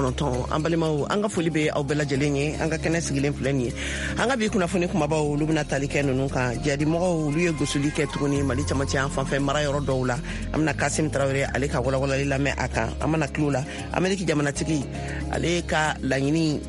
9. An balimaw, an ka foli bɛ aw bɛɛ lajɛlen ye. An ka kɛnɛ sigilen filɛ nin ye. An ka bi kunnafoni kumabaw, olu bɛna tali kɛ ninnu kan: jihadimɔgɔw, olu ye gosili kɛ tuguni Mali camancɛ yan fanfɛ mara yɔrɔ dɔw la. An bɛna Kasim Tarawele ale ka walawalali lamɛn a kan. An mana tila o la, Ameriki jamanatigi ale ka laɲini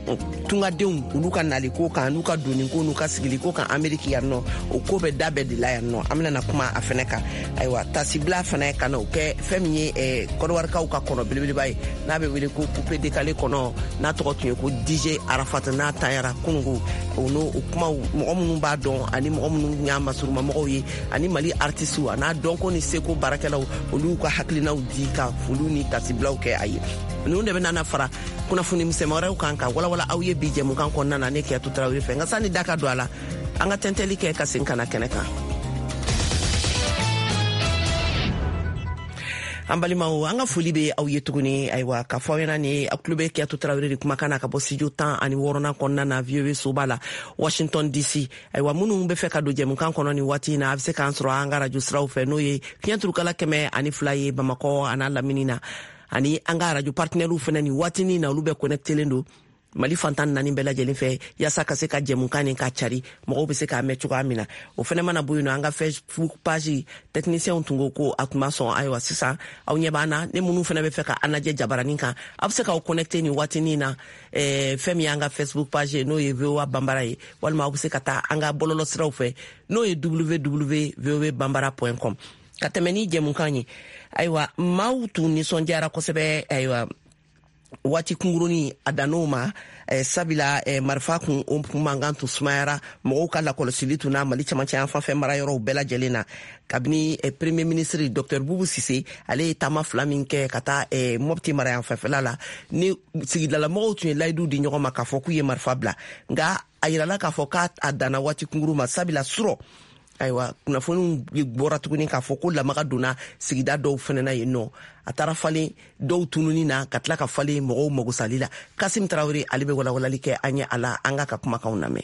tungadenw olu ka nali ko kan, n'u ka donni ko, n'u ka sigili ko kan Ameriki yan nɔ, o ko bɛ da bɛɛ de la yan nɔ. An bɛna na kuma a fɛnɛ kan. Ayiwa, tasibila fana ka na o kɛ fɛn min ye Kɔdiwarikaw ka kɔnɔ belebeleba ye n'a bɛ wele ko coupé décalé kɔnɔ, n'a tɔgɔ tun ye ko DJ Arafat, n'a tanyara kunungo, o n'o o kumaw, mɔgɔ minnu b'a dɔn ani mɔgɔ minnu y'a masurumamɔgɔw ye, ani Mali artisiw a n'a dɔnko ni seko baarakɛlaw, olu ka hakilinaw di ka foliw ni tasibilaw kɛ a ye. Ninnu de bɛna na fara kunnafoni misɛnman wɛrɛw kan ka walawala aw ye bi jɛmukan kɔnɔna na, ne Kiyatu Tarawele fɛ. Nka sani da ka don a la, an ka tɛntɛli kɛ ka segin ka na kɛnɛ kan. An balimaw, an ka foli bɛ aw ye tuguni. Ayiwa, ka fɔ aw ɲɛna ni aw tulo bɛ Kiyatu Tarawele de kumakan na ka bɔ studio 16nan kɔnɔna na, VOA soba la, Washington DC. Ayiwa, minnu bɛ fɛ ka don jɛmukan kɔnɔ nin waati in na, a bɛ se k'an sɔrɔ an ka radio siraw fɛ, n'o ye fiɲɛ turukala 102 ye Bamakɔ an'a lamini na, ani an ka radio partenaires fɛnɛ nin waatinin na, olu bɛ connectelen don Mali fantan naani bɛɛ lajɛlen fɛ, yaasa ka se ka jɛmukan nin ka cari, mɔgɔw bɛ se k'a mɛn cogoya min na. O fɛnɛ mana bɔ yen nɔ, an ka Facebook page, technicienw tun ko ko a tun ma sɔn. Ayiwa, sisan aw ɲɛ b'an na. Ne minnu fɛnɛ bɛ fɛ ka an lajɛ jabaranin kan, aw bɛ se k'aw connecter nin waatinin na fɛn min y'an ka Facebook page ye, n'o ye VOA Banbara ye, walima aw bɛ se ka taa an ka bɔlɔlɔ siraw fɛ, n'o ye www voabambara.com. Ka tɛmɛ ni jɛmukan ye, ayiwa, maaw tun nisɔndiyara kosɛbɛ. Ayiwa, waati kunkurunin a dann'o ma sabila marifa kun o kun mankan tun sumayara, mɔgɔw ka lakɔlɔsili tun na Mali camancɛ yan fanfɛ mara yɔrɔw bɛɛ lajɛlen na, kabini Premier ministre Dr Bubu Sise ale ye taama fila min kɛ ka taa Mɔpti mara yan fanfɛla la, ni sigidalamɔgɔw tun ye layidu di ɲɔgɔn ma k'a fɔ k'u ye marifa bila. Nka a yirala k'a fɔ k'a danna waati kunkuru ma, sabila surɔ, ayiwa, kunnafoniw bɔra tuguni k'a fɔ ko lamaga donna sigida dɔw fɛnɛ na yen nɔ. A taara falen dɔw tununi na, ka tila ka falen mɔgɔw magosali la. Kasim Tarawele ale bɛ walawalali kɛ an ye a la. An k'a ka kumakanw lamɛn.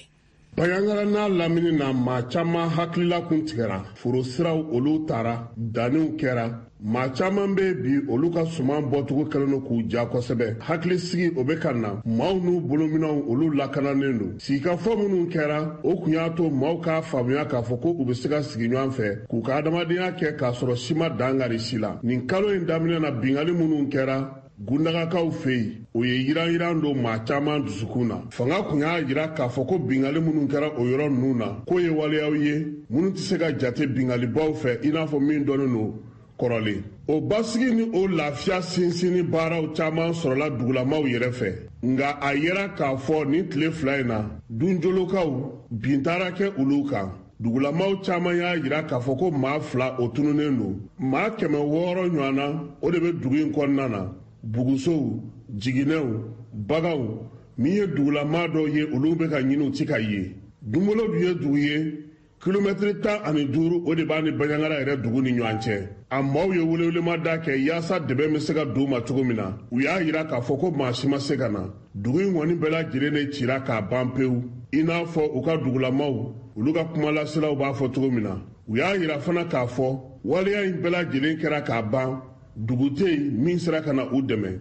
Banjagara n'a lamini na, maa caman hakilila kun tigɛra. Foro siraw olu taara, danniw kɛra. Maa caman bɛ bi, olu ka suman bɔcogo kɛlen don k'u ja kosɛbɛ. Hakilisigi o bɛ ka na, maaw n'u bolominɛw olu lakananen don. Sigikafɔ minnu kɛra, o kun y'a to maaw k'a faamuya k'a fɔ ko u bɛ se ka sigi ɲɔgɔn fɛ k'u ka adamadenya kɛ k'a sɔrɔ si ma dankari si la. Nin kalo in daminɛ na, binkanni minnu kɛra Gundagakaw fɛ yen, o ye yiranyiran don maa caman dusukun na. Fanga kun y'a jira k'a fɔ ko binkanni minnu kɛra o yɔrɔ ninnu na, k'o ye waleyaw ye minnu tɛ se ka jate binkannibaw fɛ, i n'a fɔ min dɔnnen don kɔrɔlen. O basigi ni o lafiya sinsinni baaraw caman sɔrɔla dugulamaw yɛrɛ fɛ. Nka a yera k'a fɔ nin tile 2 in na, Dunjolokaw bin taara kɛ olu kan. Dugulamaw caman y'a jira k'a fɔ ko maa 2 o tununnen don. Maa 600 ɲɔgɔn na, o de bɛ dugu in kɔnɔna na. Bugusow, jiginɛw, baganw, min ye dugulamaa dɔw ye, olu bɛ ka ɲini, u ti ka ye. Dunbolo dun ye dugu ye, kilomɛtiri 15 o de b'a ni Banjagara yɛrɛ dugu ni ɲɔgɔn cɛ. A maaw ye welewelemada kɛ yaasa dɛmɛ bɛ se ka don u ma cogo min na. U y'a jira k'a fɔ ko maa si ma se ka na. Dugu in kɔni bɛɛ lajɛlen de cira k'a ban pewu, i n'a fɔ u ka dugulamaw olu ka kumalaselaw b'a fɔ cogo min na. U y'a jira fana k'a fɔ waleya in bɛɛ lajɛlen kɛra k'a ban, dugu tɛ yen min sera ka na u dɛmɛ,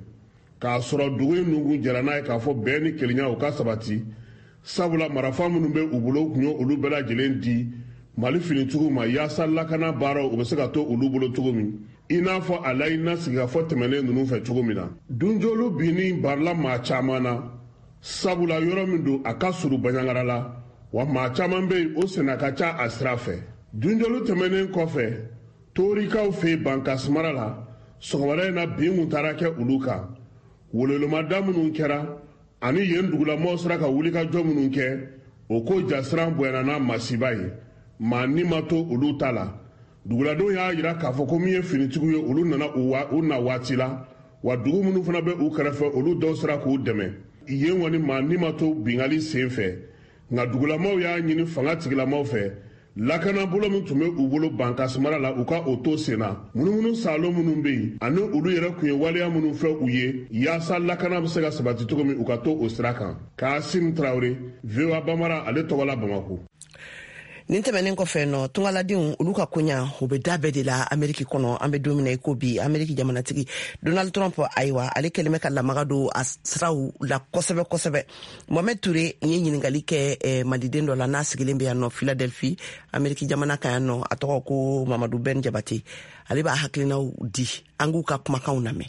k'a sɔrɔ dugu in nunkun jɛra n'a ye k'a fɔ bɛn ni kelenya u ka sabati, sabula marafa minnu bɛ u bolo, u tun ye olu bɛɛ lajɛlen di Mali finitigiw ma yaasa lakana baaraw u bɛ se ka to olu bolo cogo min, i n'a fɔ a laɲinina sigikafɔ tɛmɛnen ninnu fɛ cogo min na. Dunjolu binni barila maa caman na, sabula yɔrɔ min don, a ka surun Banjagara la, wa maa caman bɛ yen, o senna ka ca a sira fɛ. Dunjolu tɛmɛnen kɔfɛ, Torikaw fɛ yen Bankasimara la, sɔgɔmada in na bin kun taara kɛ olu kan. Welewelemada minnu kɛra ani yen dugulamɔgɔw sera ka wulikajɔ minnu kɛ, o ko jasiran bonyana n'a masiba ye, maa ni ma to olu ta la. Duguladenw y'a jira k'a fɔ ko min ye finitigiw ye, olu nana u na waati la, wa dugu minnu fana bɛ u kɛrɛfɛ, olu dɔw sera k'u dɛmɛ. Yen kɔni maa ni ma to binkanni sen fɛ. Nka dugulamaw y'a ɲini fanga tigilamaw fɛ, lakanabolo min tun bɛ u bolo Bankasimara la, u ka o to sen na. Munumunu saalo minnu bɛ yen ani olu yɛrɛ tun ye waleya minnu fɛ u ye yaasa lakana bɛ se ka sabati cogo min, u ka to o sira kan. Kasim Tarawele, VOA Bambara ale tɔgɔ la, Bamako. Nin tɛmɛnen kɔfɛ nɔ, tungaladenw olu ka koɲa o bɛ da bɛɛ de la Ameriki kɔnɔ. An bɛ don min na i ko bi, Ameriki jamanatigi Donald Trump, ayiwa, ale kɛlen bɛ ka lamaga don a siraw la kosɛbɛ kosɛbɛ. Mohamed Ture ye ɲininkali kɛ maliden dɔ la n'a sigilen bɛ yan nɔ Philadelphie, Ameriki jamana kan yan nɔ. A tɔgɔ ko Mamadu Ben Jabate. Ale b'a hakilinaw di, an k'u ka kumakanw lamɛn.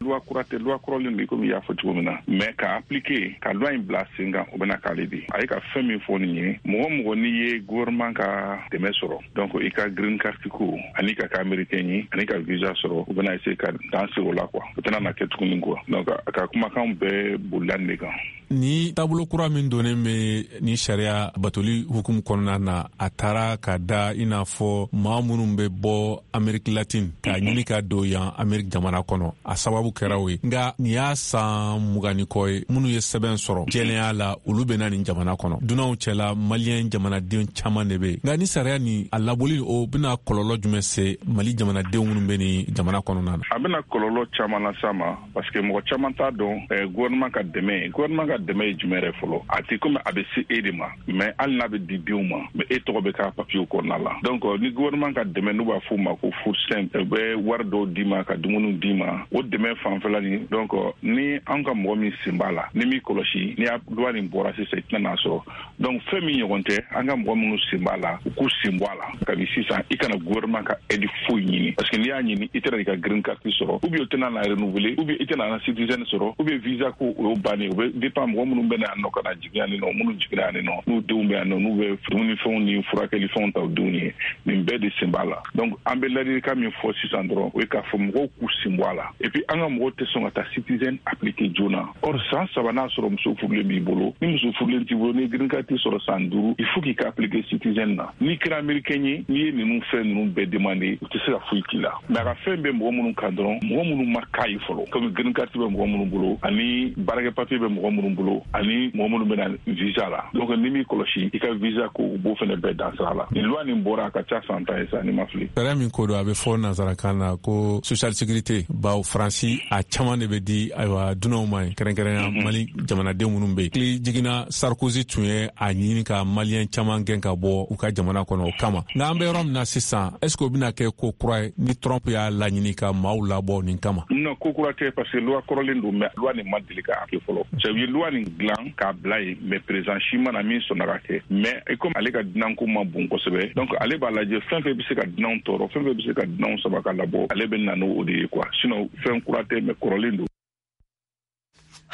Loi kura tɛ, loi kɔrɔlen don, komi i y'a fɔ cogo min na, mais ka appliquer, ka loi in bila sen kan, o bɛna k'ale de. A ye ka fɛn min fɔ nin ye, mɔgɔ mɔgɔ n'i ye gouvernement ka dɛmɛ sɔrɔ, donc i ka green card ko ani ka kɛ américain ye ani ka visa sɔrɔ, u bɛna essayer ka dan sigi o la quoi. O tɛna na kɛ tuguni quoi. Donc a ka kumakan bɛɛ bolila nin de kan. Ni taabolo kura min donnen bɛ ni sariya batoli hukumu kɔnɔna na, a taara ka da i n'a fɔ maa minnu bɛ bɔ Ameriki Latine k'a ɲini ka don yan Ameriki jamana kɔnɔ, a sababu kɛra o ye. Nka nin y'a san 20 ni kɔ ye, minnu ye sɛbɛn sɔrɔ jɛlenya la, olu bɛ na nin jamana kɔnɔ. Dunanw cɛla, Maliyɛn jamanaden caman de bɛ yen. Nka ni sariya nin a laboli, o bɛna kɔlɔlɔ jumɛn se Mali jamanadenw minnu bɛ nin jamana kɔnɔna na? A bɛna kɔlɔlɔ caman las'a ma, parce que mɔgɔ caman t'a dɔn gouvernement ka dɛmɛ. Gouvernement ka dɛmɛ ye jumɛn yɛrɛ fɔlɔ? A tɛ komi a bɛ se e de ma, mais hali n'a bɛ di denw ma, mais e tɔgɔ bɛ k'a papiyew kɔnɔna la. Donc ni gouvernement ka dɛmɛ, n'u b'a f'o ma ko food stamp, u bɛ wari dɔw d'i ma ka dumuniw d'i ma, o dɛmɛ fanfɛla nin. Donc ni an ka mɔgɔ min sen b'a la, ni m'i kɔlɔsi, ni y'a loi nin bɔra sisan, i tɛna n'a sɔrɔ. Donc fɛn min ɲɔgɔn tɛ, an ka mɔgɔ minnu sen b'a la, u k'u sen bɔ a la kabi sisan. I kana gouvernement ka aide foyi ɲini, parce que n'i y'a ɲini, i tɛna i ka green card sɔrɔ, ou bien o tɛna na renouveler, ou bien i tɛna na citizen sɔrɔ, ou bien visa ko, o y'o bannen. O bɛ dépend mɔgɔ minnu bɛ na yan nɔ ka na jigin yan nɔ, minnu jiginna yan nɔ, n'u denw bɛ yan nɔ, n'u bɛ dumunifɛnw ni furakɛlifɛnw ta u denw ye, nin bɛɛ de sen b'a la. Donc an bɛ ladilikan min fɔ sisan dɔrɔn, o ye k'a fɔ mɔgɔw k'u sen bɔ a la. Et puis an ka mɔgɔw tɛ sɔn ka taa citizen appliquer joona. Or san 3, n'a sɔrɔ muso furulen b'i bolo, ni muso furulen t'i bolo, ni green card sɔrɔ san 5, il faut k'i ka appliquer citizen na. N'i kɛra américain ye, n'i ye ninnu fɛn ninnu bɛɛ demander, u tɛ se ka foyi k'i la. Mais a ka fɛn bɛ mɔgɔ minnu kan dɔrɔn, mɔgɔ minnu ma k'a ye fɔlɔ, comme green card bɛ mɔgɔ minnu bolo, ani baarakɛ papier bɛ mɔgɔ minnu bolo, ani mɔgɔ minnu bɛ na visa la. Donc ni m'i kɔlɔsi i ka visa ko, u b'o fɛnɛ bɛɛ dan sira la. Nin loi nin bɔra, a ka ca san 10 ye sa, ni ma fili. Sariya min ko don, a bɛ fɔ nansarakan na ko social sécurité, bawo Faransi a caman de bɛ di, ayiwa, dunanw ma ye, kɛrɛnkɛrɛnya Mali jamanaden minnu bɛ yen. Kili jiginna, Sarkozy tun ye a ɲini ka Maliyɛn caman gɛn ka bɔ u ka jamana kɔnɔ o kama. Nka an bɛ yɔrɔ min na sisan, est ce que o bɛna kɛ ko kura ye ni Trump y'a laɲini ka maaw labɔ nin kama? Non, ko kura tɛ, parce que loi kɔrɔlen don, mais loi nin ma deli ka kɛ fɔlɔ. C'est u ye loi nin dilan k'a bila yen, mais président si ma na min sɔnna ka kɛ. Mais comme ale ka dunanko ma bon kosɛbɛ, donc ale b'a lajɛ fɛn fɛn bɛ se ka dunanw tɔɔrɔ, fɛn fɛn bɛ se ka dunanw sama ka labɔ, ale bɛ na n'o de ye quoi. Sinon fɛn kura tɛ, mais kɔrɔlen don.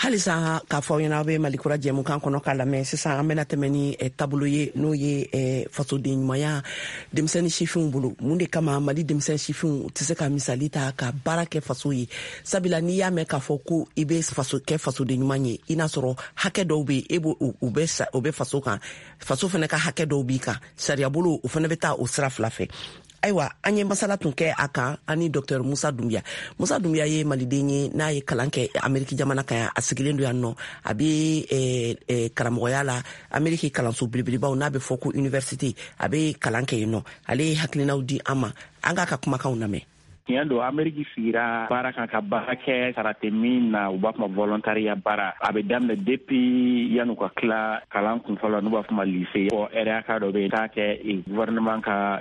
Halisa k'a fɔ aw ɲɛna, aw bɛ Malikura jɛmukan kɔnɔ k'a lamɛn. Sisan an bɛna tɛmɛ ni taabolo ye, n'o ye fasoden ɲumanya denmisɛnnin sifinw bolo. Mun de kama Mali denmisɛn sifinw tɛ se ka misali ta ka baara kɛ faso ye? Sabula n'i y'a mɛn k'a fɔ ko i bɛ faso kɛ fasoden ɲuman ye, i n'a sɔrɔ hakɛ dɔw bɛ yen, e b'o o bɛ o bɛ faso kan, faso fana ka hakɛ dɔw b'i kan, sariya bolo o fana bɛ taa o sira fila fɛ. Ayiwa, an ye masala tun kɛ a kan ani Dr Musa Dunbiya. Musa Dunbiya ye Maliden ye n'a ye kalan kɛ Ameriki jamana kan yan. A sigilen don yan nɔ, a bɛ karamɔgɔya la Ameriki kalanso belebelebaw n'a bɛ fɔ ko université, a bɛ kalan kɛ yen nɔ. Ale ye hakilinaw di an ma, an k'a ka kumakanw lamɛn. Tiɲɛ don, Ameriki sigira baara kan ka baara kɛ, sara tɛ min na, u b'a fɔ ma volontariat baara. A bɛ daminɛ depuis yan'u ka tila kalan kun fɔlɔ, n'u b'a fɔ ma lycée. Fɔ heure hakɛ dɔ bɛ yen, taa kɛ gouvernement ka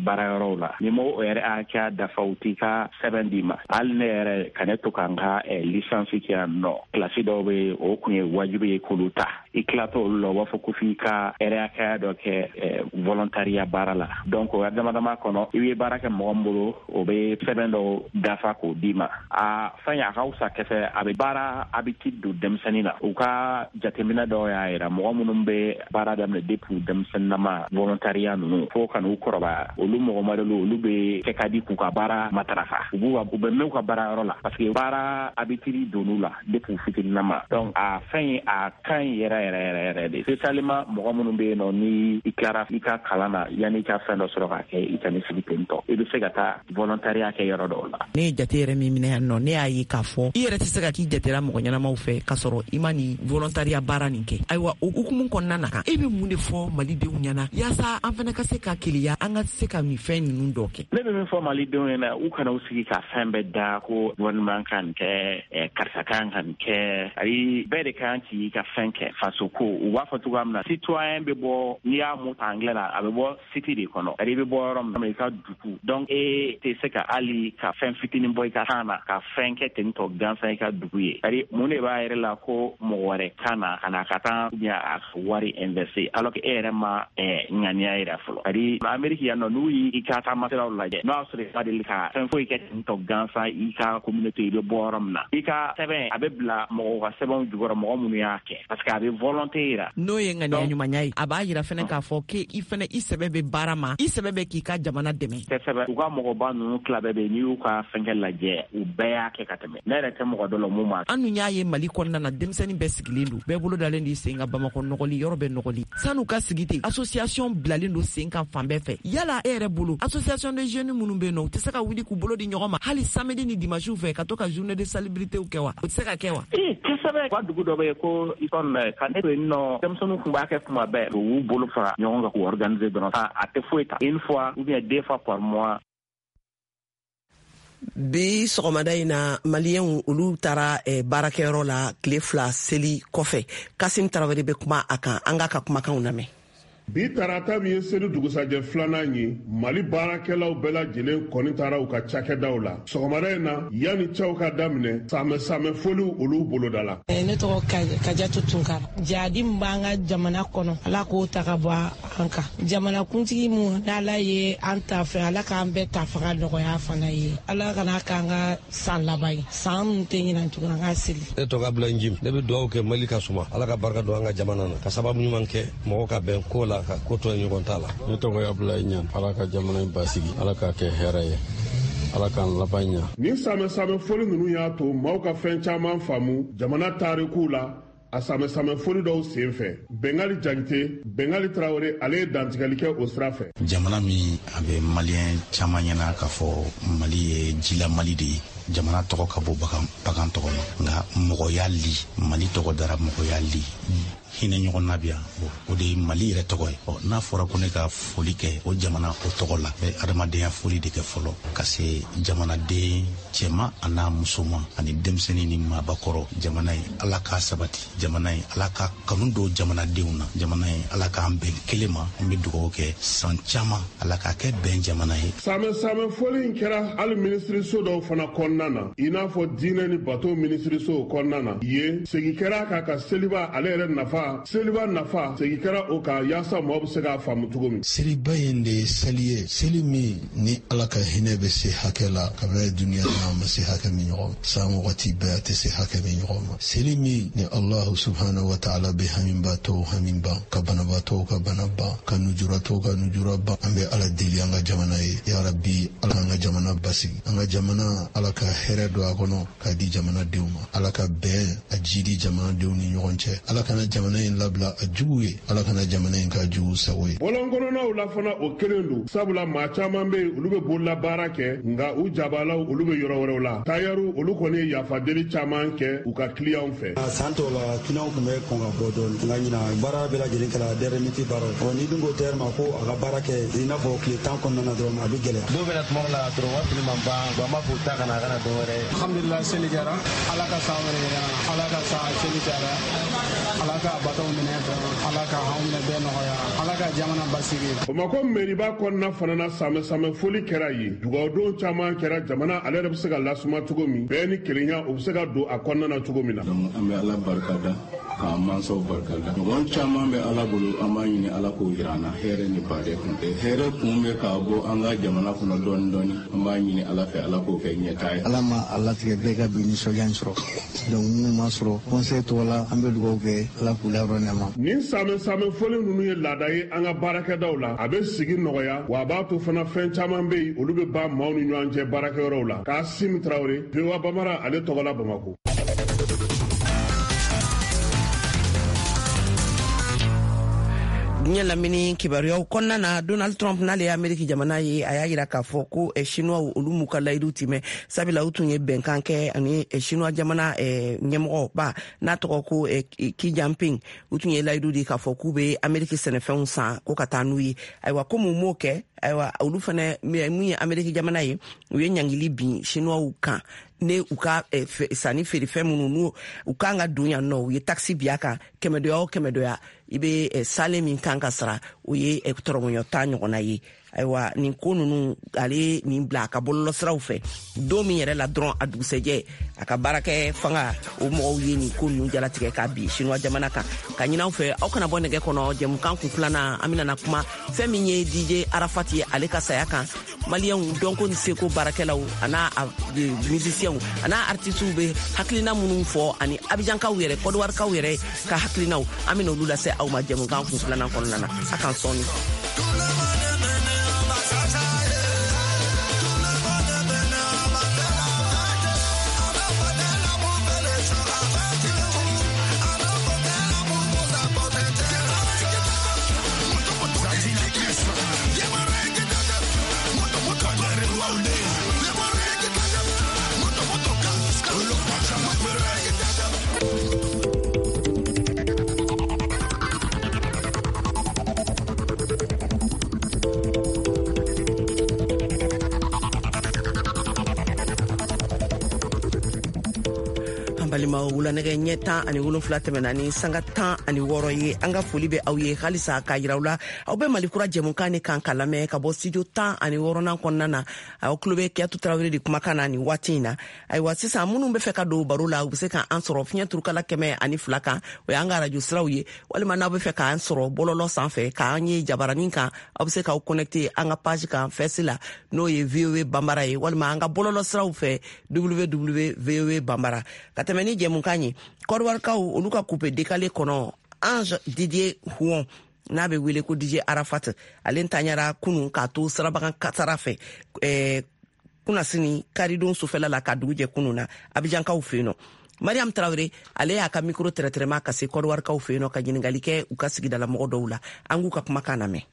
baarayɔrɔw la. Ni m'o heure hakɛya dafa, u t'i ka sɛbɛn d'i ma. Hali ne yɛrɛ ka ne to ka n ka licence kɛ yan nɔ, kilasi dɔw bɛ yen, o kun ye wajibi ye k'olu ta. I tilatɔ olu la, u b'a fɔ ko f'i ka heure hakɛya dɔ kɛ volontariat baara la. Donc o dama dama kɔnɔ, i bɛ baara kɛ mɔgɔ min bolo, o bɛ sɛbɛn dɔw dafa k'o d'i ma. A fɛn a ka fisa kɛfɛ, a bɛ baara habitude don denmisɛnnin na. U ka jateminɛ dɔw y'a yira, mɔgɔ minnu bɛ baara daminɛ depuis denmisɛnninama, volontariat ninnu, fo ka n'u kɔrɔbaya, olu mɔgɔ modèle, olu bɛ kɛ ka di k'u ka baara matarafa. U b'u u bɛ mɛn u ka baara yɔrɔ la, parce que baara habitude donn'u la depuis fitininama. Donc a fɛn ye, a ka ɲi yɛrɛ yɛrɛ yɛrɛ yɛrɛ de, spécialement mɔgɔ minnu bɛ yen nɔ, ni i tilara i ka kalan na, yanni i ka fɛn dɔ sɔrɔ k'a kɛ, i ka ni sigi ten tɔ, i bɛ se ka taa volontariat. volontariat kɛ yɔrɔ dɔw la. Ne ye jate yɛrɛ min minɛ yan nɔ, ne y'a ye k'a fɔ i yɛrɛ tɛ se ka k'i jatera mɔgɔ ɲɛnamaw fɛ k'a sɔrɔ i ma nin volontariat baara nin kɛ. Ayiwa, o hukumu kɔnɔna na, e bɛ mun de fɔ malidenw ɲɛna yaasa an fana ka se ka keleya, an ka se ka nin fɛn ninnu dɔ kɛ? Ne bɛ min fɔ malidenw ɲɛna, u kana u sigi ka fɛn bɛɛ da ko gouvernement ka nin kɛ, karisa kan ka nin kɛ. Ayi, bɛɛ de kan k'i ka fɛn kɛ faso ko. U b'a fɔ cogoya min na, citoyen bɛ bɔ, n'i y'a mot ta anglais la, a bɛ bɔ cité de kɔnɔ, i bɛ bɔ yɔrɔ min na, i ka dugu. Donc e tɛ se ka hali ka fɛn fitinin bɔ i ka kan na ka fɛn kɛ ten tɔ gansan i ka dugu ye. C'est-à-dire, mun de b'a yɛrɛ la ko mɔgɔ wɛrɛ ka na ka na ka taa ou bien a ka wari investir alors que e yɛrɛ ma ŋaniya yira fɔlɔ? C'est-à-dire, Amérique yan nɔ, n'u y'i ka taamasiraw lajɛ, n'o y'a sɔrɔ i ma deli ka fɛn foyi kɛ ten tɔ gansan i ka communauté, i bɛ bɔ yɔrɔ min na, i ka sɛbɛn a bɛ bila mɔgɔw ka sɛbɛnw jukɔrɔ, mɔgɔ minnu y'a kɛ, parce que a bɛ volonté yira. N'o ye ŋaniya ɲumanya ye, a b'a yira fɛnɛ k'a fɔ k'i fɛnɛ i sɛbɛ bɛ baara ma, i sɛbɛ bɛ k'i ka jamana dɛmɛ. Kosɛbɛ. U ka mɔgɔba ninnu tila bɛɛ bɛ yen, n'i y'u ka fɛnkɛ lajɛ, u bɛɛ y'a kɛ ka tɛmɛ. Ne yɛrɛ tɛ mɔgɔ dɔ la mun ma. An dun y'a ye Mali kɔnɔna na, denmisɛnnin bɛɛ sigilen don, bɛɛ bolo dalen d'i sen kan. Bamakɔ nɔgɔli, yɔrɔ bɛɛ nɔgɔli. San'u ka sigi ten, association bilalen don sen kan fan bɛɛ fɛ. Yala e yɛrɛ bolo, association de jeunes minnu bɛ yen nɔ, u tɛ se ka wuli k'u bolo di ɲɔgɔn ma hali samedi ni dimanche fɛ, ka to ka journée de salubrité kɛ wa? O tɛ se ka kɛ wa? Ee, kosɛbɛ. U ka dugu dɔ bɛ yen ko Icône, ka ne to yen nɔ, denmisɛnninw tun b'a kɛ kuma bɛɛ. U b'u bolo fara ɲɔgɔn kan k'u organiser dɔrɔn, a tɛ foyi ta, une fois ou bien deux fois par mois. Bi sɔgɔmada in na, maliyɛnw olu taara baarakɛyɔrɔ la tile 2 seli kɔfɛ. Kasim Tarawele bɛ kuma a kan, an k'a ka kumakanw lamɛn. Bi tarata min ye seli dugusajɛ filanan ye, Mali baarakɛlaw bɛɛ lajɛlen kɔni taara u ka cakɛdaw la sɔgɔmada in na. Yanni cɛw ka daminɛ, samɛ samɛ foliw olu boloda la. Ne tɔgɔ Kajatu Tunkara. Jadi min b'an ka jamana kɔnɔ, Ala k'o ta ka bɔ an kan. Jamanakuntigi mun n'Ala ye an ta fɛ, Ala k'an bɛɛ ta faga nɔgɔya fana ye. Ala kana k'an ka san laban ye, san min tɛ ɲinan tuguni, an ka seli. Ne tɔgɔ Abulayi Jim. Ne bɛ dugawu kɛ Mali ka suma, Ala ka barika don an ka jamana na, ka sababu ɲuman kɛ mɔgɔ ka bɛn ko la, ka ko to ɲɔgɔn ta la. Ne tɔgɔ ye Abulayi Ɲan. Ala ka jamana in basigi, Ala k'a kɛ hɛrɛ ye, Ala k'an laban ɲa. Nin samɛ samɛ foli ninnu y'a to maaw ka fɛn caman faamu jamana tarikuw la. A samɛ samɛ foli dɔw sen fɛ, Bengali Jakite, Bengali Tarawele, ale ye dantigɛli kɛ o sira fɛ. Jamana min a bɛ maliyɛn caman ɲɛna k'a fɔ Mali ye jila Mali de ye, jamana tɔgɔ ka bɔ bagan tɔgɔ ma, nka mɔgɔya li, Mali tɔgɔ dara mɔgɔya li, hinɛ ɲɔgɔn na bi yan, o de ye Mali yɛrɛ tɔgɔ ye. Ɔ, n'a fɔra ko ne ka foli kɛ o jamana o tɔgɔ la, bɛ adamadenya foli de kɛ fɔlɔ ka se jamanaden cɛman a n'a musoman ani denmisɛnnin ni maabakɔrɔ. Jamana ye, Ala k'a sabati. Jamana ye, Ala ka kanu don jamanadenw na. Jamana ye, Ala k'an bɛn kelen ma. An bɛ dugawu kɛ san caman, Ala k'a kɛ bɛn jamana ye. Samɛ samɛ foli in kɛra hali minisiriso dɔw fana kɔnɔna na, i n'a fɔ diinɛ ni bato minisiriso kɔnɔna na. Yen, segin kɛra a kan ka seliba ale yɛrɛ nafa, seliba nafa, segin kɛra o kan yaasa mɔgɔ bɛ se k'a faamu cogo min. Seliba in de ye seli ye, seli min ni Ala ka hinɛ bɛ se hakɛ la kabini duniya na, a ma se hakɛ min ɲɔgɔn ma, san wagati bɛɛ a tɛ se hakɛ min ɲɔgɔn ma, seli min ni Allahu subhanahu wa ta'ala bɛ hamibatɔw hami ban, ka banabaatɔw ka bana ban, ka nujuratɔw ka nujura ban. An bɛ Ala deli an ka jamana ye, ya Rabbi, Ala k'an ka jamana basigi, an ka jamana, Ala ka hɛrɛ don a kɔnɔ k'a di jamanadenw ma, Ala ka bɛn a jidi jamanadenw ni ɲɔgɔn cɛ, Ala kana jamana in labila a jugu ye, Ala kana jamana in k'a jugu sago ye. Bɔlɔnkɔnɔnaw la fana, o kelen don, sabula maa caman bɛ yen, olu bɛ bololabaara kɛ, nka u jabalaw olu bɛ yɔrɔ wɛrɛw la. Tayɛriw olu kɔni ye yafadeli caman kɛ u ka kiliyanw fɛ. San tɔw la, kiliyanw tun bɛ kɔn ka bɔ dɔɔni, nka ɲinan baara bɛɛ lajɛlen kɛra dernière minute baara ye. Ɔ, ni dun ko tayɛri ma ko a ka baara kɛ i n'a fɔ tile 10 kɔnɔna na dɔrɔn, a bɛ gɛlɛya. Dɔw bɛna tuma dɔ la dɔrɔn, u ka fini ma ban, an b'a fɔ u ta kana a kana dɔ wɛrɛ. Alhamdulilah, seli jara, Ala ka san wɛrɛ yira, Ala ka san seli jara, Ala ka bato minɛ, Ala ka anw minɛ bɛɛ nɔgɔya, Ala ka jamana basigi. Bamakɔ meriba kɔnɔna fana na, samɛ samɛ foli kɛra yen. Dugawudon caman kɛra jamana ale yɛrɛ bɛ se ka lasuma cogo min, bɛɛ ni kelenya o bɛ se ka don a kɔnɔna na cogo min na. An bɛ Ala barika da, k'an mansaw barika da. Ɲɔgɔn caman bɛ Ala bolo, an b'a ɲini Ala k'o yira an na. Hɛrɛ ni baden kun tɛ, hɛrɛ kun bɛ k'a bɔ an ka jamana kɔnɔ dɔɔni dɔɔni, an b'a ɲini Ala fɛ, Ala k'o kɛ ɲɛtaa ye. Ala ma a latigɛ bɛɛ ka bi nisɔndiya in sɔrɔ, donc minnu ma sɔrɔ, conseil tɔgɔ la, an bɛ dugawu kɛ, Ala k'u layɔrɔ nɛma. Nin samɛ samɛ foli ninnu ye laada ye an ka baarakɛdaw la. A bɛ sigi nɔgɔya, wa a b'a to fana fɛn caman bɛ yen, olu bɛ ban maaw ni ɲɔgɔn cɛ baarakɛyɔrɔw la. Kasim Tarawele, VOA Bambara ale tɔgɔ la, Bamakɔ. Diɲɛ lamini kibaruyaw kɔnɔna na, Donald Trump, n'ale ye Ameriki jamana ye, a y'a yira k'a fɔ ko Chinois, olu m'u ka layidu timɛ, sabula u tun ye bɛnkan kɛ ani Chinois jamana ɲɛmɔgɔba n'a tɔgɔ ko Xi Jinping. U tun ye layidu di k'a fɔ k'u bɛ Ameriki sɛnɛfɛnw san ko ka taa n'u ye. Ayiwa, komi u m'o kɛ, ayiwa, olu fɛnɛ, mun ye Ameriki jamana ye, u ye ɲangili bin Chinois kan ne u ka sanni feerefɛn minnu n'u u kan ka don yan nɔ. U ye taxe bin a kan, kɛmɛdoya o kɛmɛdoya, i bɛ salen min kan ka sara, o ye tɔrɔmɔɲɔ 10 ɲɔgɔnna ye. Ayiwa, nin ko ninnu, ale nin bila a ka bɔlɔlɔsiraw fɛ don min yɛrɛ la dɔrɔn, a dugusɛjɛ, a ka baarakɛ fanga o mɔgɔw ye nin ko ninnu jalatigɛ k'a bin Chinois jamana kan. Ka ɲini aw fɛ, aw kana bɔ nɛgɛ kɔnɔ. Jɛmukan kun filanan, an bɛna kuma fɛn min ye DJ Arafat ye, ale ka saya kan. Maliyɛnw dɔnko ni seko baarakɛlaw an'a musicienw an'a artisiw bɛ hakilina minnu fɔ, ani Abijankaw yɛrɛ, Kɔdiwarikaw yɛrɛ ka hakilinaw, an bɛna olu lase aw ma jɛmukan kun filanan kɔnɔna na. A k'an sɔɔni. Balimaw, wula nɛgɛ ɲɛ 17 tɛmɛna ni sanga 16 ye. An ka foli bɛ aw ye halisa k'a yira aw la, aw bɛ Mali Kura jɛmukan ni kan ka lamɛn ka bɔ studio 16nan kɔnɔna na. Aw tulo bɛ Kiyatu Tarawele de kumakan na nin waati in na. Ayiwa, sisan, minnu bɛ fɛ ka don baro la, u bɛ se k'an sɔrɔ fiɲɛ turukala 102 kan, o y'an ka arajo siraw ye, walima n'aw bɛ fɛ k'an sɔrɔ bɔlɔlɔ sanfɛ, k'an ye jabaranin kan, aw bɛ se k'aw connecter an ka page kan Face la, n'o ye VOA Banbara ye, walima an ka bɔlɔlɔ siraw fɛ, www VOA Banbara. Ka tɛmɛ ni jɛmukan ye, Kɔdiwarikaw, olu ka coupé décalé kɔnɔ, Ange Didier Houon, n'a bɛ wele ko DJ Arafat, ale ntanyara kunun k'a to sirabakan kasara fɛ kunnasini karidon sufɛla la ka dugu jɛ kunun na, Abijankaw fɛ yen nɔ. Mariam Tarawele, ale y'a ka micro tɛrɛtɛrɛma ka se Kɔdiwarikaw fɛ yen nɔ, ka ɲininkali kɛ u ka sigidala mɔgɔ dɔw la. An k'u ka kumakan lamɛn.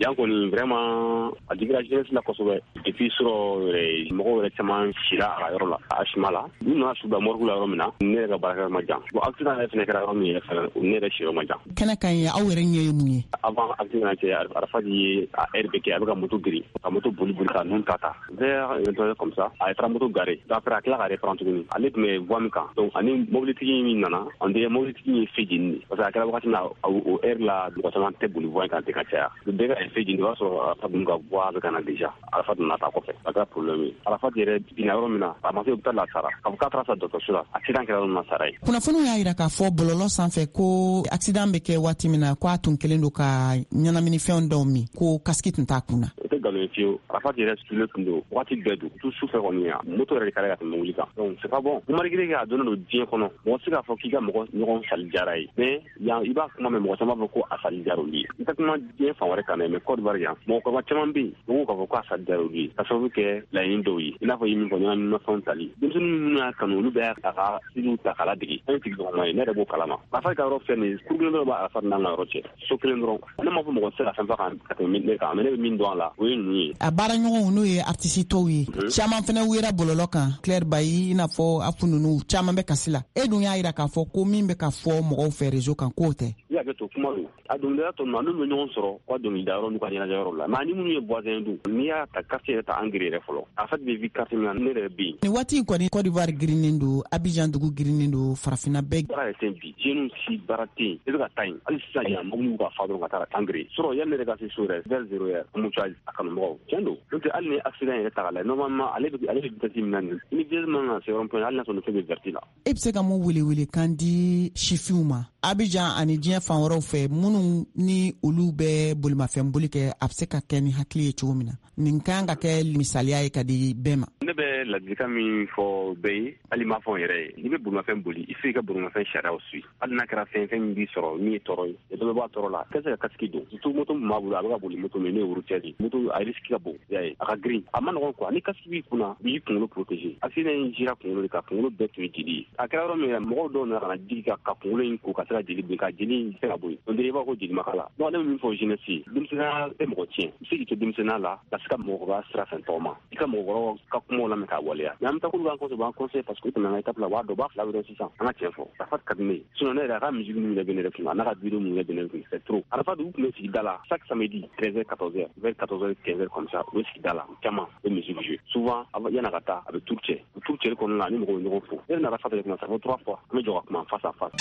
Yan kɔni, vraiment, a digira jeunesse la kosɛbɛ. Et puis surɔ yɛrɛ, mɔgɔw yɛrɛ caman sira a ka yɔrɔ la, a suma la. N'u nana su bila morgue la yɔrɔ min na, ne yɛrɛ ka baarakɛyɔrɔ ma jan. Bon, accident yɛrɛ fɛnɛ kɛra yɔrɔ min yɛrɛ fɛnɛ, ne yɛrɛ siyɔrɔ ma jan. Kɛnɛ kan ye, aw yɛrɛ ɲɛ ye mun ye? Avant accident cɛ, Arafat ye a heure bɛɛ kɛ, a bɛ ka moto giri, ka moto boli boli ka nun ta ta vers 23 comme ça, a ye taara moto garer. Après, a tila ka reprendre tuguni. Ale tun bɛ voie min kan, donc ani mobilitigi min nana, on dirait mobilitigi ye feu jeni de, parce que a kɛra wagati min na, o heure la, mɔgɔ caman tɛ boli voie kan ten ka caya. Bɛɛ ka feu jeni, o b'a sɔrɔ Arafat ninnu ka voie bɛ ka na déjà. Arafat nana ta kɔfɛ, a kɛra problème ye. Arafat yɛrɛ binna yɔrɔ min na, a ma se hôpital la, a sara. K'a fɔ k'a taara sa dɔgɔtɔrɔso la, accident kɛra yɔrɔ min na, sara ye. Kunnafoniw y'a yira k'a fɔ bɔlɔlɔ sanfɛ ko accident bɛ kɛ waati min na, ko a tun kɛlen don ka ɲɛnaminifɛn dɔw min, ko casque tun t'a kun na. O tɛ nkalon ye fiyewu. Arafat yɛrɛ sulen tun don wagati bɛɛ don tu su fɛ kɔni, yan moto yɛrɛ de kɛra ka tɛmɛ mobili kan. Donc c'est pas bon, malgré que a donnen don diɲɛ kɔnɔ, mɔgɔ tɛ se k'a fɔ k'i ka mɔgɔ ɲɔgɔn sali diyara ye. Mais yan, i b'a kuma mɛn, mɔgɔ caman b'a fɔ ko a sali diyara olu ye. N tɛ kuma diɲɛ fan wɛrɛ kan dɛ, mais Côte d'Ivoire yan, mɔgɔkɔrɔba caman bɛ yen, u ko k'a fɔ ko a sali diyara olu ye, ka sababu kɛ laɲini dɔw ye, i n'a fɔ i ye min fɔ, ɲɛnaminimafɛnw tali. Denmisɛnnin minnu y'a kanu, olu bɛɛ a ka style ta k'a ladege. An ye sigiɲɔgɔnma ye, ne yɛrɛ b'o kalama. Arafat ka yɔrɔ filɛ nin ye, kuru kelen dɔrɔn b'a Arafat n'an ka yɔrɔ cɛ, so kelen dɔrɔn. Ne m'a fɔ mɔgɔ tɛ se ka fɛn fɔ kan ka tɛmɛ ne kan, mais ne bɛ min dɔn a la, o ye ninnu ye. A baaraɲɔgɔnw, n'o ye artiste tɔw ye, caman fɛnɛ wera bɔlɔlɔ kan, Claire Bayi, i n'a fɔ Afu ninnu, caman bɛ kasi la. E dun y'a yira k'a fɔ ko min bɛ ka fɔ mɔgɔw fɛ réseau kan, k'o tɛ. I y'a kɛ to kuma don. A dɔnkilidala tɔ ninnu, a n'olu bɛ ɲɔgɔn sɔrɔ u ka dɔnkilida yɔrɔ n'u ka ɲɛnajɛ yɔrɔ la, mais ani minnu ye voisin dun, n'i y'a ta quartier yɛrɛ ta, Angre yɛrɛ fɔlɔ, Arafat bɛ vivre quartier min na, ne yɛrɛ bɛ yen. Nin waati in kɔni, Côte d'Ivoire girinnen don, Abidjan dugu girinnen don, farafinna bɛɛ. Baara yɛrɛ tɛ yen bi, jeunes si baara tɛ yen. I bɛ ka taa yen hali sisan, yan mobili ka fa dɔrɔn ka taa Angre sɔrɔ yanni ne yɛrɛ ka se so yɛrɛ, vers 0 heure, embouteillage a kanumɔgɔw tiɲɛ don. N'o tɛ, hali ni accident yɛrɛ ta k'a lajɛ, normalement ale bɛ vitesse min na nin, ni vitesse man kan ka se rond point, hali n'a sɔrɔ ni fɛn bɛ vert la. E bɛ se ka mun welewelekan di sifinw ma Abidjan ani diɲɛ fan wɛrɛw fɛ, minnu ni olu bɛ bolimafɛn boli kɛ, a bɛ se ka kɛ ni hakili ye cogo min na? Nin kan ka kɛ misaliya ye ka di bɛɛ ma. Ne ne bɛ ladilikan min fɔ bɛɛ ye, hali m'a fɔ n yɛrɛ ye, n'i bɛ bolimafɛn boli, il faut i ka bolimafɛn sariyaw suit. Hali n'a kɛra fɛn min b'i sɔrɔ min ye tɔɔrɔ ye, dɔ bɛ bɔ a tɔɔrɔ la, ka se ka casque don. Surtout moto min b'a bolo, a bɛ ka boli moto min, n'o ye routière ye, moto a risque ka bon, i y'a ye, a ka girin, a ma nɔgɔn quoi. Ni casque b'i kunna, b'i kunkolo protéger. Accident in jira kunkolo de kan, kunkolo bɛɛ tun ye jeli ye. A kɛra yɔrɔ min na, mɔgɔw dɔw nana ka na digi ka kunkolo in ko ka se ka jeli bin, ka jeli in se ka bɔ yen. On dirait i b'a fɔ ko jeli ma k'a la. Donc ne bɛ min fɔ jeunesse ye, denmisɛnninya tɛ mɔgɔ tiɲɛ. I bɛ se k'i to denmisɛnninya la ka se ka mɔgɔkɔrɔba sira fɛ tɔgɔma, i ka mɔgɔkɔrɔbaw ka kumaw lamɛn k'a waleya. Mais an bɛ taa k'olu b'an conseiller, u b'an conseiller parce que u tɛmɛna an ka étape la, u b'a dɔn, u b'a fila bɛ dɔn sisan. An ka tiɲɛ fɔ, Arafat ka di ne ye. Sinon ne yɛrɛ, a ka musique min yɛrɛ bɛ ne yɛrɛ kun, a n'a ka vidéo min yɛrɛ bɛ ne kun, c'est trop. Arafat, u tun bɛ sigi da la chaque samedi 13h 14h, vers 14h 15h comme ça, u bɛ sigi da la, caman u bɛ musique jouer. Souvent yan'a ka taa, a bɛ tour cɛ. O tour cɛli kɔnɔna la, ni mɔgɔw bɛ ɲɔgɔn fo. Ne ni Arafat yɛrɛ kuma, ça fait 3 fois, an bɛ jɔ ka kuma face à face.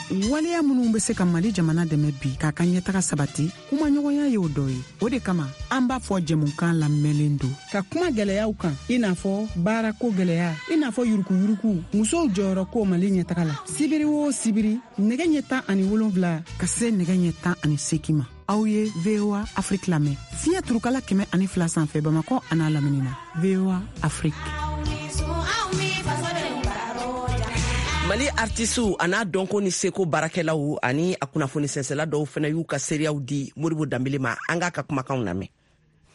Waleya minnu bɛ se ka Mali jamana dɛmɛ bi k'a ka ɲɛtaga sabati, kumaɲɔgɔnya y'o dɔ ye. O de kama an b'a fɔ jɛmukan lamɛnlen don ka kuma gɛlɛyaw kan, i n'a fɔ baarako gɛlɛya, i n'a fɔ yurukuyuruku, musow jɔyɔrɔ ko Mali ɲɛtaga la. Sibiri o sibiri, nɛgɛ ɲɛ 17 ka se nɛgɛ ɲɛ 18 ma, aw ye VOA Afrique lamɛn fiɲɛ turukala 102 sanfɛ Bamakɔ an'a lamini na. VOA Afrique. Mali artisiw a n'a dɔnko ni seko baarakɛlaw ani a kunnafoni sɛnsɛla dɔw fana y'u ka seereyaw di Modibo Danbele ma. An k'a ka kumakanw lamɛn.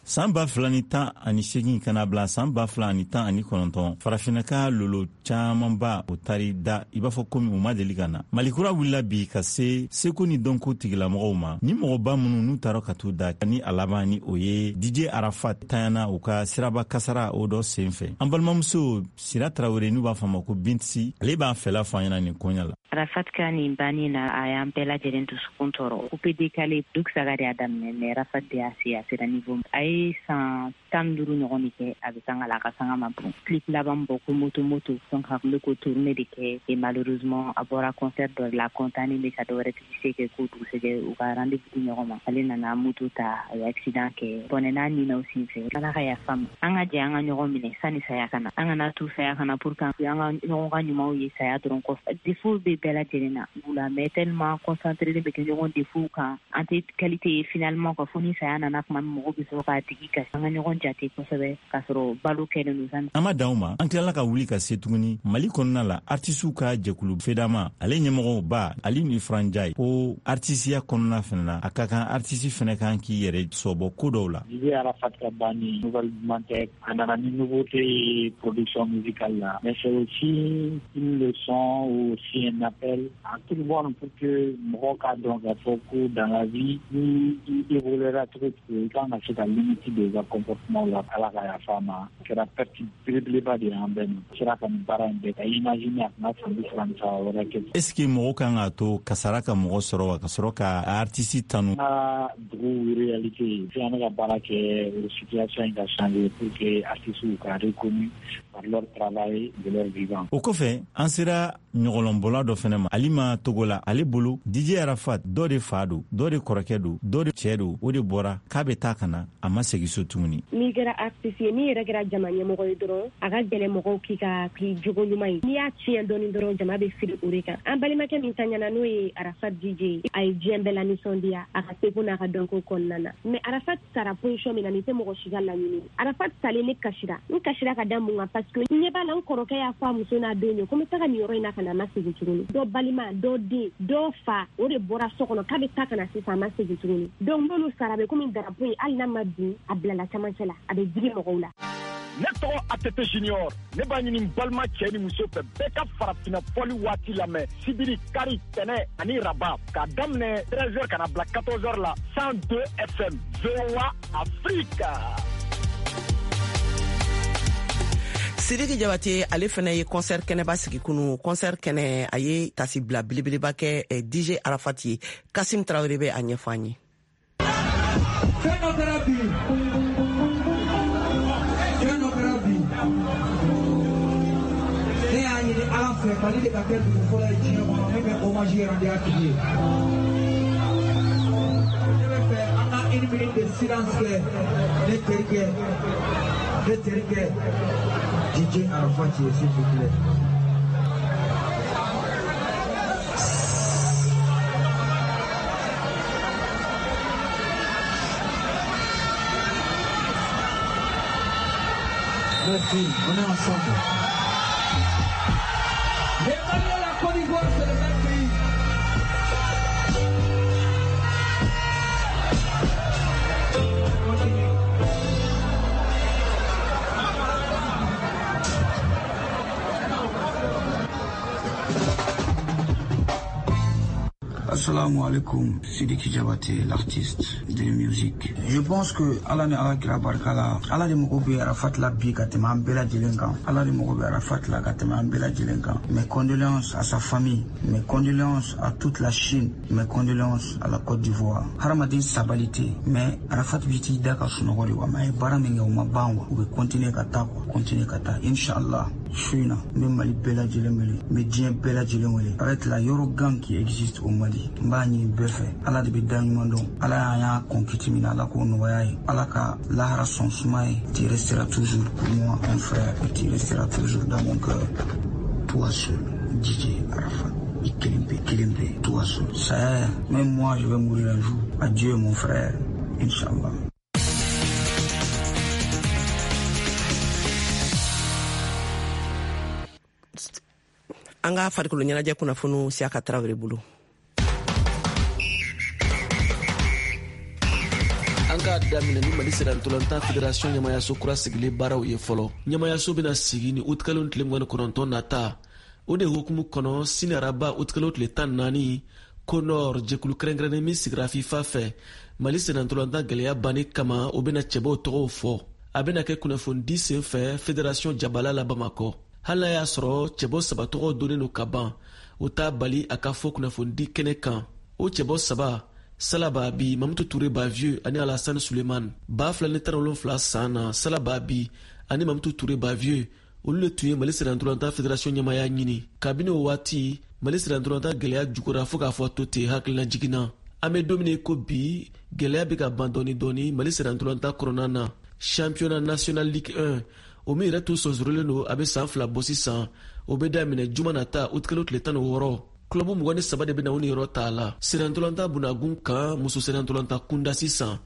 San 2018 ka na bila san 2019, farafinna ka lolo camanba o tari da i b'a fɔ komi u ma deli ka na. Malikura wulila bi ka se seko ni dɔnko tigilamɔgɔw ma, ni mɔgɔba minnu n'u taara ka t'u da, ni a laban ni o ye DJ Arafat tanyana u ka siraba kasara o dɔ sen fɛ. An balimamuso Sira Tarawele, n'u b'a fɔ a ma ko Bintisi, ale b'a fɛla fɔ an ɲɛna nin koɲa la. Arafat ka nin banni na, a y'an bɛɛ lajɛlen dusukun tɔɔrɔ. Coupé décalé Douk Saga de y'a daminɛ, mais Arafat de y'a se, a sera niveau. A ye san 15 ɲɔgɔn de kɛ a bɛ sanga la, a ka sanga ma bon. Clip laban bɔ ko moto moto, donc a tun bɛ k'o tourner de kɛ, et malheureusement a bɔra concert dɔ de la, content bɛ ka dɔ wɛrɛ publicité kɛ k'o dugusɛjɛ u ka rendez-vous di ɲɔgɔn ma. Ale nana moto ta, a ye accident kɛ, bɔnɛ n'a ni na o sen fɛ. Ala ka yafa ma. An ka jɛ an ka ɲɔgɔn minɛ sani saya ka na. An kana to saya ka na pour que an ka ɲɔgɔn ka ɲumanw ye saya dɔrɔn kɔfɛ. Défaut bɛ bɛɛ lajɛlen na la, mais tellement concentré bɛ kɛ ɲɔgɔn défaut kan, an tɛ qualité ye finalement ka fo ni saya nana tuma min, mɔgɔw bɛ sɔrɔ k'a tigi kasi. An ka ɲɔgɔn jate kosɛbɛ k'a sɔrɔ balo kɛlen don sani. An ma dan o ma, an tilala ka wuli ka se tuguni Mali kɔnɔna la, artisiw ka jɛkulu FEDAMA, ale ɲɛmɔgɔw ba Ali Ifranjai, ko artisiya kɔnɔna fɛnɛ na, a ka kan artisi fɛnɛ kan k'i yɛrɛ sɔbɔ ko dɔw la. DJ Arafat ka banni nouvelle duman tɛ, a nana ni nouveauté ye production musicale la, mais c'est aussi une leçon ou aussi un appel à tout le monde pour que mɔgɔw k'a dɔn k'a fɔ ko dans la vie, ni i évoluera cogo cogo, i kan ka se ka limite don i ka comportement la. Ala ka yafa a ma, a kɛra perte belebeleba de ye an bɛɛ ma. Sera ka nin baara in bɛɛ ka imaginer a tun ka san 33 wɛrɛ kɛ. Est ce que mɔgɔw kan k'a to kasara ka mɔgɔ sɔrɔ wa ka sɔrɔ ka artiste tanu? An ka dugu réalité ye, an bɛ ka baara kɛ o situation in ka changer pour que artistes ka reconnu par leur travail de leur vivant. O kɔfɛ, an sera ɲɔgɔlɔnbɔla dɔ fɛnɛ ma, Alima Togola. Ale bolo, DJ Arafat dɔ de fa don, dɔ de kɔrɔkɛ don, dɔ de cɛɛ don, o de bɔra k'a bɛ taa ka na, a ma segin so tuguni. N'i kɛra artiste ye, n'i yɛrɛ kɛra jama ɲɛmɔgɔ ye dɔrɔn, a ka gɛlɛn mɔgɔw k'i ka k'i jogo ɲuman ye. N'i y'a tiɲɛ dɔɔni dɔrɔn, jama bɛ fili o de kan. An balimakɛ min taɲana, n'o ye Arafat DJ, a ye diɲɛ bɛɛ la nisɔndiya a ka seko n'a ka dɔnko kɔnɔna na. Mais Arafat sara position min na, nin tɛ mɔgɔ si ka laɲini. Arafat salen, ne kasira. N kasira ka da mun kan? Parce que n ɲɛ b'a la, n kɔrɔkɛ y'a fɔ a muso n'a denw ye ko n bɛ taga nin yɔrɔ in na ka na, a ma segin tuguni. Dɔ balima, dɔ den, dɔ fa, o de bɔra so kɔnɔ k'a bɛ taa ka na sisan, a ma segin tuguni. Donc n'olu sara, a bɛ komi drapeau in, hali n'a ma bin, a bilala camancɛ la, a bɛ digi mɔgɔw la. Ne tɔgɔ ATT Junior, ne b'a ɲini n balima cɛ ni muso fɛ, bɛɛ ka farafinna fɔli waati lamɛn sibiri, kari, tɛnɛ ani raba, k'a daminɛ 13h ka na bila 14h la, 102 FM, VOA Afrique. Sidiki Jabate, ale fɛnɛ ye concert kɛnɛba sigi kunu. Concert kɛnɛ, a ye tasibila belebeleba kɛ DJ Arafat ye. Kasim Tarawele bɛ a ɲɛfɔ an ye. Fɛn dɔ kɛra bi, fɛn dɔ kɛra bi, ne y'a ɲini Ala fɛ, Mali de ka kɛ dugu fɔlɔ ye diɲɛ kɔnɔ min bɛ hommage rendu a tigi ye. Ne bɛ fɛ an ka une minute de silence kɛ ne terikɛ, ne terikɛ DJ Arafat ye, s'il vous plaît. Merci, on est ensemble. Les Mali et la Côte d'Ivoire, c'est le même pays. Continue. Assalamu alaikum, Sidiki Diabaté, l'artiste de musique. Je pense que Ala ni Ala kira barika la, Ala de mago bɛ Arafat la bi ka tɛmɛ an bɛɛ lajɛlen kan. Ala de mago bɛ Arafat la ka tɛmɛ an bɛɛ lajɛlen kan. Mes condoléances à sa famille, mes condoléances à toute la Chine, mes condoléances à la Côte d'Ivoire. Hadamaden sabali tɛ, mais Arafat bi t'i da ka sunɔgɔ de wa, mais a ye baara min kɛ o ma ban wa. U bɛ continuer ka taa quoi, continuer ka taa. Inch'Allah, su in na, n bɛ Mali bɛɛ lajɛlen wele, n bɛ diɲɛ bɛɛ lajɛlen wele. Avec la Yorogang qui existe au Mali, n b'a ɲini bɛɛ fɛ, Ala de bɛ da ɲuman dɔn. Ala y'an y'a kɔn kiti min na, Ala k'o nɔgɔya ye. Ala ka lahara sɔn suma ye. Tu resteras toujours pour moi un frère et tu resteras toujours dans mon cœur. Toi seul, DJ Arafat. I kelen pe, kelen pe, toi seul. Ça, même moi je vais mourir un jour. Adieu mon frère, Inch'Allah. An ka farikolo ɲɛnajɛ kunnafoniw Siyaka Tarawele bolo. An k'a daminɛ ni Mali sennantolatan fédération ɲɛmayaso kura sigilen baaraw ye fɔlɔ. Ɲɛmayaso bɛna sigi ni utikalo tile 29 nata. O de hukumu kɔnɔ, sini araba utikalo tile 14, CONOR, jɛkulu kɛrɛnkɛrɛnnen min sigira FIFA fɛ Mali sennantolatan gɛlɛya banni kama, o bɛna cɛbɔw tɔgɔw fɔ. A bɛna kɛ kunnafonidi sen fɛ fédération jabala la Bamakɔ. Hali n'a y'a sɔrɔ cɛbɔ saba tɔgɔ donnen don ka ban, o t'a bali a ka fɔ kunnafonidi kɛnɛ kan. O cɛbɔ saba: Sala Babi, Mamutu Ture Bavieux ani Alassane Suleiman. 2017 san na, Sala Babi ani Mamutu Ture Bavieux, olu le tun ye Mali sennantolatan fédération ɲɛmaya ɲini. Kabini o waati, Mali sennantolatan gɛlɛya jugura fɔɔ k'a fɔ to ten. Hakilina jiginna, an be don min ko bi, gɛlɛya be ka ban dɔɔni dɔɔni Mali sennantolatan kɔnɔna na. Championnat national Ligue 1, o min yɛrɛ tun sɔnsɔrɔlen don a be san 2 bɔ sisan, o be daminɛ juma nata utikalo tile 16. Kulɔbu 23 de bɛna u niyɔrɔ ta a la. Sennantolatan bunagun kan, muso sennantolatan kunda sisan,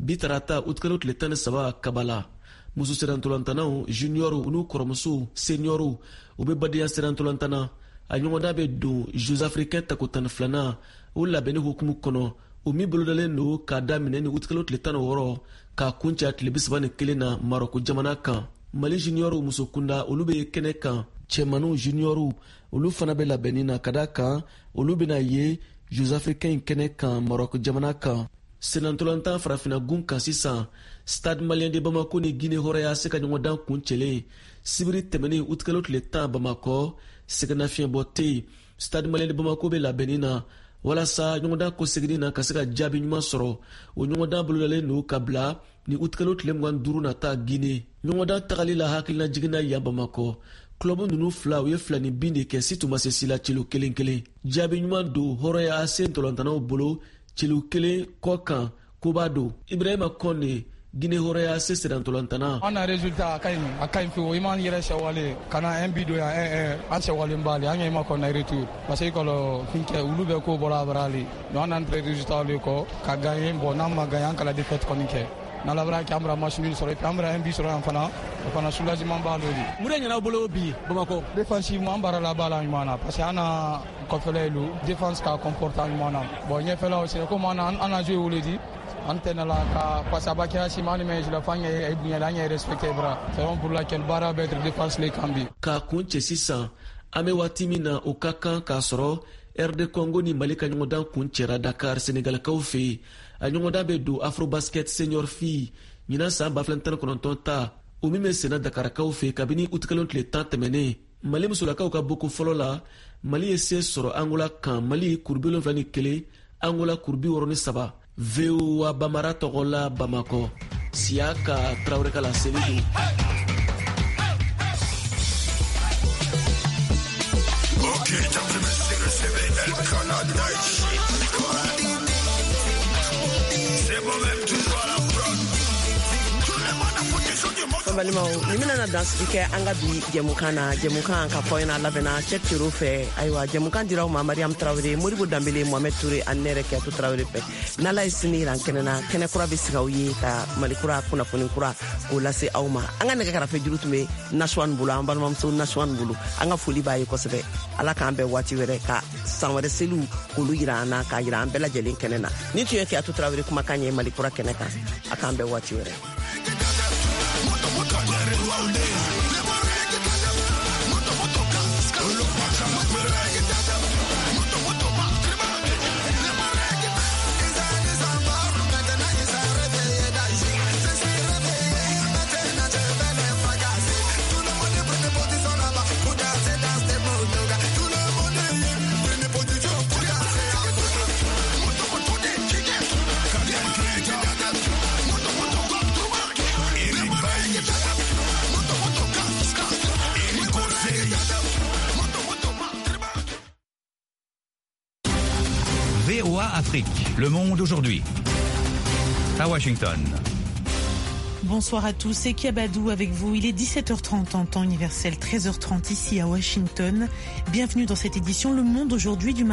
bi tarata utikalo tile 13, Kabala, muso sennantolatannaw juniɔru n'u kɔrɔmusow seniɔru, u bɛ badenya sennantolatan na. A ɲɔgɔndan bɛ don Jeux africains tako 12nan o labɛnni hukumu kɔnɔ, o min bolodalen don k'a daminɛ ni utikalo tile 16 k'a kuncɛ tile 31 na Marɔku jamana kan. Mali juniɔru muso kunda, olu bɛ kɛnɛ kan. Cɛmaniw juniɔru, olu fana bɛ labɛnni na, ka da kan olu bɛna ye Jeux africains kɛnɛ kan Marɔku jamana kan. Sennantolatan farafinna gun kan sisan, Stade Malien de Bamako ni Guinée Hɔrɔnya se ka ɲɔgɔndan kuncɛlen sibiri tɛmɛnen utikalo tile 10 Bamakɔ. Sɛgɛnnafiɲɛbɔ tɛ yen. Stade Malien de Bamako bɛ labɛnni na walasa ɲɔgɔndan kɔseginni na ka se ka jaabi ɲuman sɔrɔ. O ɲɔgɔndan bolodalen don ka bila ni utikalo tile 25 nata Guinée. Ɲɔgɔndan tagali la, hakilina jiginna yan Bamakɔ, kulɔbu ninnu fila, u ye fila ni bin de kɛ, si tun ma se si la, celu kelen kelen. Jaabi ɲuman don Hɔrɔnya AC ntolantanaw bolo, celu kelen kɔ kan koba don. Ibrahima Kɔne, Guinée Hɔrɔnya AC sennantolantana. An na résultat a ka ɲi, a ka ɲi fiyewu. I m'an yɛrɛ sɛwale ka na un but don yan, 1-1, an sɛwalen b'ale, an ɲɛ ma kɔnɔ retour parce que kɔlɔ fin kɛ olu bɛ ko bɔra a bara le. Donc an n'an résultat le kɔ ka gagner. Bon, n'an ma gagner, an kala défaite kɔni kɛ. N'Ala bɛna kɛ, an bɛna match nul sɔrɔ et puis an bɛna un but sɔrɔ yan fana, o fana soulagement b'a le de. Mun de ɲɛna aw bolo bi Bamakɔ? Défensivement, an baara la b'a la ɲuman na parce que an na kɔfɛla lu défense ka comporter ɲuman na. Bon, ɲɛfɛla c'est comme an na joué wele di an tɛ la ka parce que a b'a kɛra sima ni mɛ la f'an ye bonya la, an ye respecté bra. C'est pour laquelle baara bɛ être défense le kan bi. K'a kun cɛ sisan, an bɛ waati min na, o ka kan k'a sɔrɔ RD Congo ni Mali ka ɲɔgɔndan kun cɛra Dakar, Senegalikaw fɛ yen. A ɲɔgɔndan bɛ don Afrobasket senior fille ɲinan san 2019 ta, o min bɛ senna Dakarakaw fɛ kabini utikalo tile 10 tɛmɛnen. Mali musolakaw ka boko fɔlɔ la, Mali ye se sɔrɔ Angola kan, Mali kuru 71, Angola kuru 63. VOA Bamara tɔgɔ la Bamakɔ, Siyaka Tarawele ka laseli don. Ok, El Canada. C'est moi-même toujours à la prod. Tout le monde a foutu sur du monde. An balimaw, nin bɛna na dansigi kɛ an ka bi jɛmukan na. Jɛmukan ka fɔ ɲɛna, labɛnna Cheick Tero fɛ. Ayiwa, jɛmukan diraw ma Mariam Tarawele, Modibo Danbele, Mohamed Toure ani ne yɛrɛ Kiyatu Tarawele fɛ. N'Ala ye sini yira kɛnɛ na, kɛnɛ kura bɛ sigi aw ye ka Mali kura kunnafoni kura k'o lase aw ma. An ka nɛgɛ karafe juru tun bɛ Nasuwan bolo, an balimamuso Nasuwan bolo. An ka foli b'a ye kosɛbɛ. Ala k'an bɛn waati wɛrɛ ka san wɛrɛ seliw k'olu yira an na, k'a yira an bɛɛ lajɛlen kɛnɛ na. Nin tun ye Kiyatu Tarawele kumakan ye Mali kura kɛnɛ kan. A k'an bɛn waati wɛrɛ. VOA Afrique, le monde aujourd'hui. À Washington. Bonsoir à tous, c'est Kiabadou avec vous. Il est 17h30 en temps universel, 13h30 ici à Washington. Bienvenue dans cette édition Le Monde aujourd'hui du mardi.